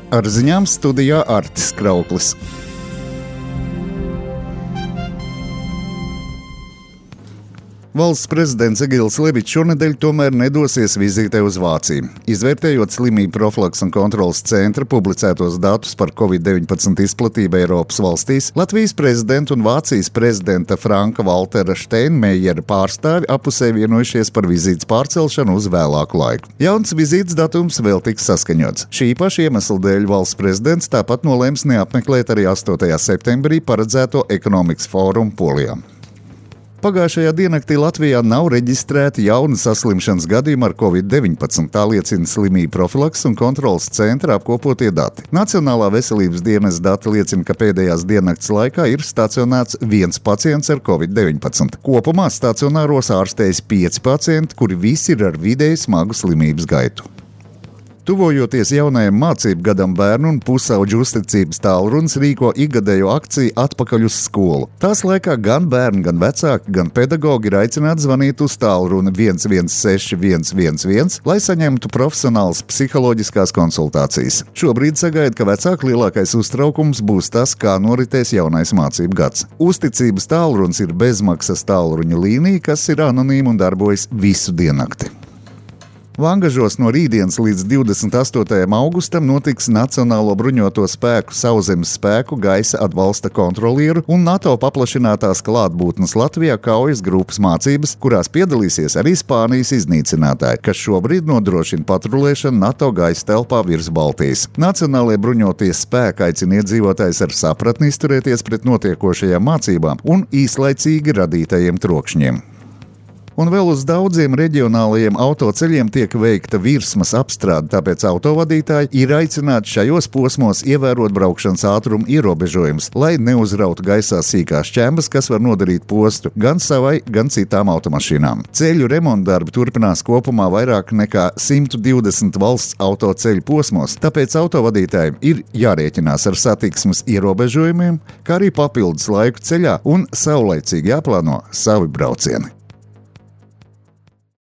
Ar ziņām studijā Artis Krauklis. Valsts prezidents Egils Levičs šonedēļ tomēr nedosies vizītē uz Vāciju. Izvērtējot slimību profilakses un kontroles centra publicētos datus par Covid-19 izplatību Eiropas valstīs, Latvijas prezidenta un Vācijas prezidenta Franka-Valtera Steinmeiera pārstāvi apusē vienojušies par vizītes pārcelšanu uz vēlāku laiku. Jauns vizītes datums vēl tiks saskaņots. Šī paša iemesla dēļ valsts prezidents tāpat nolēms neapmeklēt arī 8. septembrī paredzēto ekonomikas fórumu Polijā. Pagājušajā diennaktī Latvijā nav reģistrēti jauni saslimšanas gadījumi ar Covid-19, tā liecina slimību profilakses un kontroles centra apkopotie dati. Nacionālā veselības dienesta dati liecina, ka pēdējās diennakts laikā ir stacionēts 1 pacients ar Covid-19. Kopumā stacionāros ārstējas 5 pacienti, kuri visi ir ar vidēji smagu slimības gaitu. Tuvojoties jaunajam mācību gadam, bērnu un pusauģu uzticības tālrunis rīko ikgadējo akciju Atpakaļ uz skolu. Tās laikā gan bērni, gan vecāki, gan pedagogi ir aicināti zvanīt uz tālruni 116 111, lai saņemtu profesionālas psiholoģiskās konsultācijas. Šobrīd sagaida, ka vecāku lielākais uztraukums būs tas, kā noritēs jaunais mācību gads. Uzticības tālrunis ir bezmaksas tālruņa līnija, kas ir anonīma un darbojas visu diennakti. Vangažos no rītdienas līdz 28. augustam notiks Nacionālo bruņoto spēku sauszemes spēku gaisa atbalsta kontrolieru un NATO paplašinātās klātbūtnes Latvijā kaujas grupas mācības, kurās piedalīsies arī Spānijas iznīcinātāji, kas šobrīd nodrošina patrulēšanu NATO gaisa telpā virs Baltijas. Nacionālie bruņotie spēki aicina iedzīvotājus ar sapratni izturēties pret notiekošajām mācībām un īslaicīgi radītajiem trokšņiem. Un vēl uz daudziem reģionālajiem autoceļiem tiek veikta virsmas apstrāde, tāpēc autovadītāji ir aicināti šajos posmos ievērot braukšanas ātruma ierobežojumus, lai neuzrautu gaisā sīkās šķembas, kas var nodarīt postu gan savai, gan citām automašīnām. Ceļu remontdarbi turpinās kopumā vairāk nekā 120 valsts autoceļu posmos, tāpēc autovadītājiem ir jārēķinās ar satiksmes ierobežojumiem, kā arī papildus laiku ceļā un saulaicīgi jāplāno savi braucieni.